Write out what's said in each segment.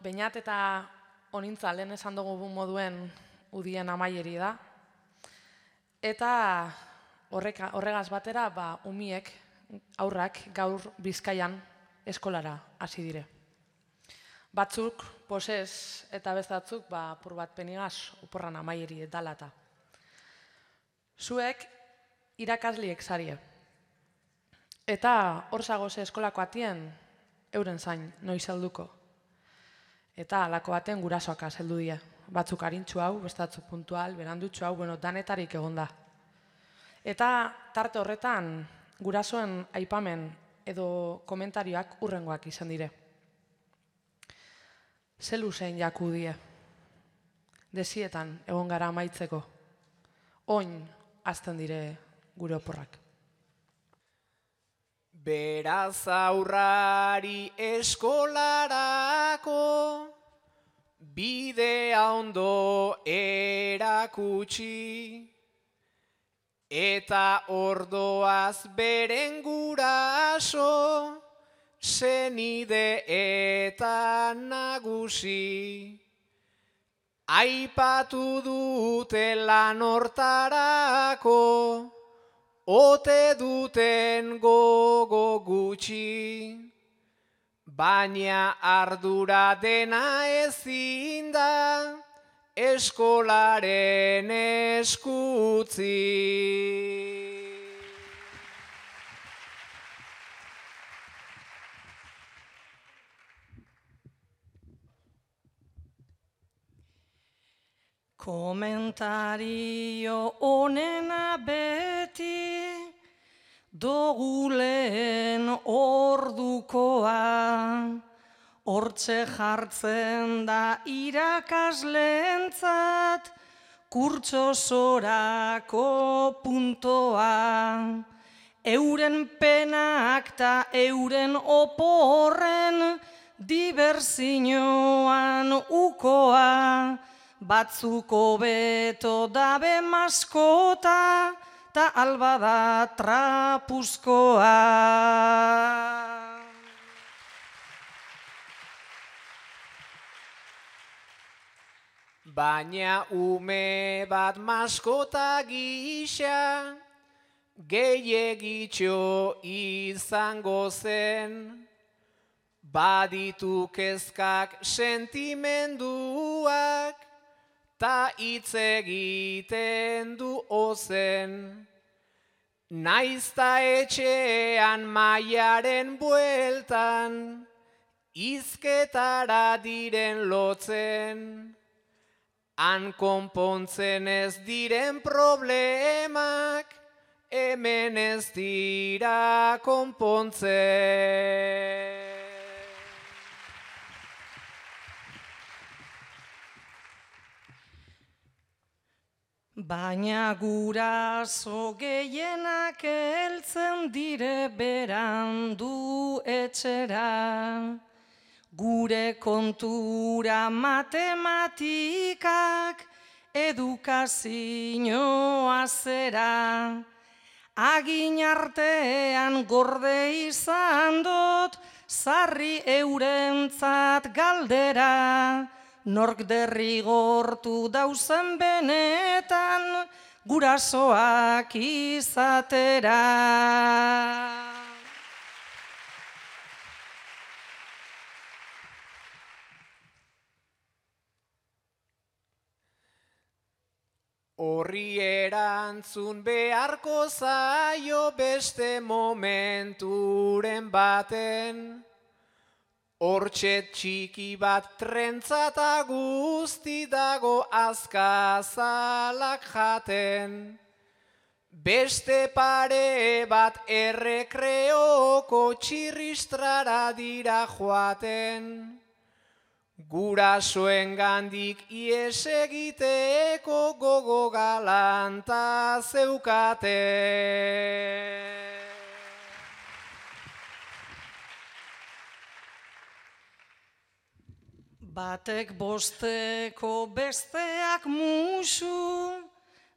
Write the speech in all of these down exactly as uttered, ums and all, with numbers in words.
Beñat eta onintza lehen esan dugu moduen udien amaieri da. Eta horregaz batera, umiek, aurrak, gaur Bizkaian eskolara hasi dire. Batzuk, posez eta bestatzuk, apur bat penigaz, oporran amaieri dalata. Zuek, irakasliek zarie. Eta hor zagoze eskolako atien, euren zain, noiz helduko. Eta alako baten gurasoak azeldu die. Batzuk harintxu hau, bestatzuk puntual, berandutxu hau, bueno, danetarik egon da. Eta tarte horretan, gurasoen aipamen edo komentarioak urrengoak izan dire. Zelu zein jaku die. Desietan egon gara amaitzeko. Oin azten dire gure oporrak. Beraz aurrari eskolarako bidea ondo erakutsi eta ordoaz beren guraso senide eta nagusi. Aipatu dute lan hortarako ote duten gogo gutxi, baina ardura dena ezin da eskolaren eskutzi. Komentario honena beti dogulen ordukoa, hortxe jartzen da irakaslentzat kurtsosorako puntoa. Euren penak ta euren oporren diversioan ukoa, batzuk hobeto dabe maskota, ta alba da trapuzkoa. Baina ume bat maskota gisa, gehiegitxo izango zen, baditu kezkak sentimenduak, ta hitz egiten du ozen. Naizta etxean maiaren bueltan, izketara diren lotzen, han konpontzen ez diren problemak, hemen ez dira konpontzen. Baina guraso gehienak heltzen dire berandu etxera, gure kontura matematikak edukazioa zera. Agin artean gorde izan dut, sarri eurentzat galdera, nork derrigortu dauzen benetan gurasoak izatera. Horri erantzun beharko zaio beste momenturen baten, hortxe txiki bat trentzata guzti dago azkazalak jaten. Beste pare bat errekreoko txirristrara dira joaten. Gurasoen gandik ies egiteko gogo galanta zeukate. Batek bosteko besteak musu,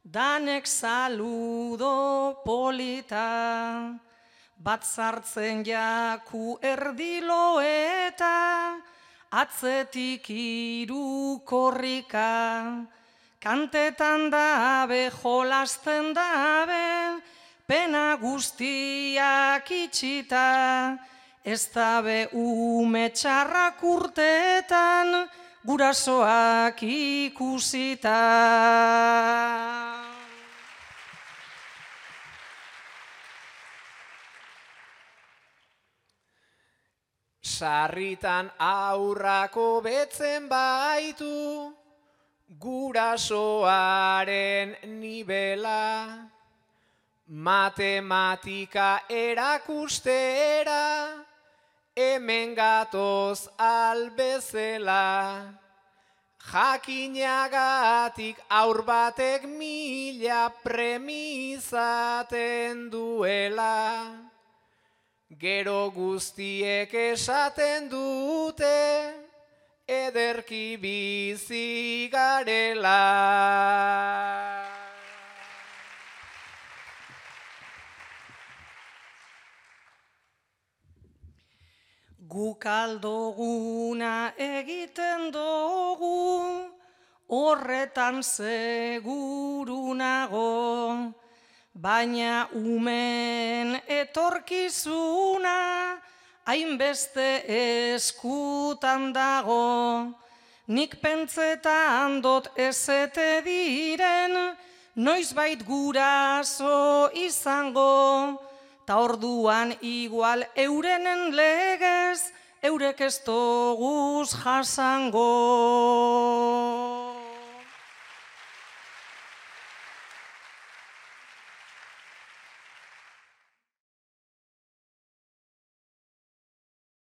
danek saludo polita. Bat zartzen jaku erdilo eta atzetik hiru korrika, kantetan dabe, jolasten dabe, pena guztiak itxita, ez dabe ume txarrak urteetan, gurasoak ikusita. Sarritan aurrako betzen baitu, gurasoaren nibela, matematika erakustera, hemen gatoz albezela, jakinagatik aur batek mila premizaten duela, gero guztiek esaten dute, ederki bizi garela. Guk aldoguna egiten dugu, horretan seguru nago, baina umen etorkizuna hainbeste eskutan dago. Nik pentsetan dot ezete diren, noizbait guraso izango, ta orduan igual eurenen legez, eurek ez doguz jasango.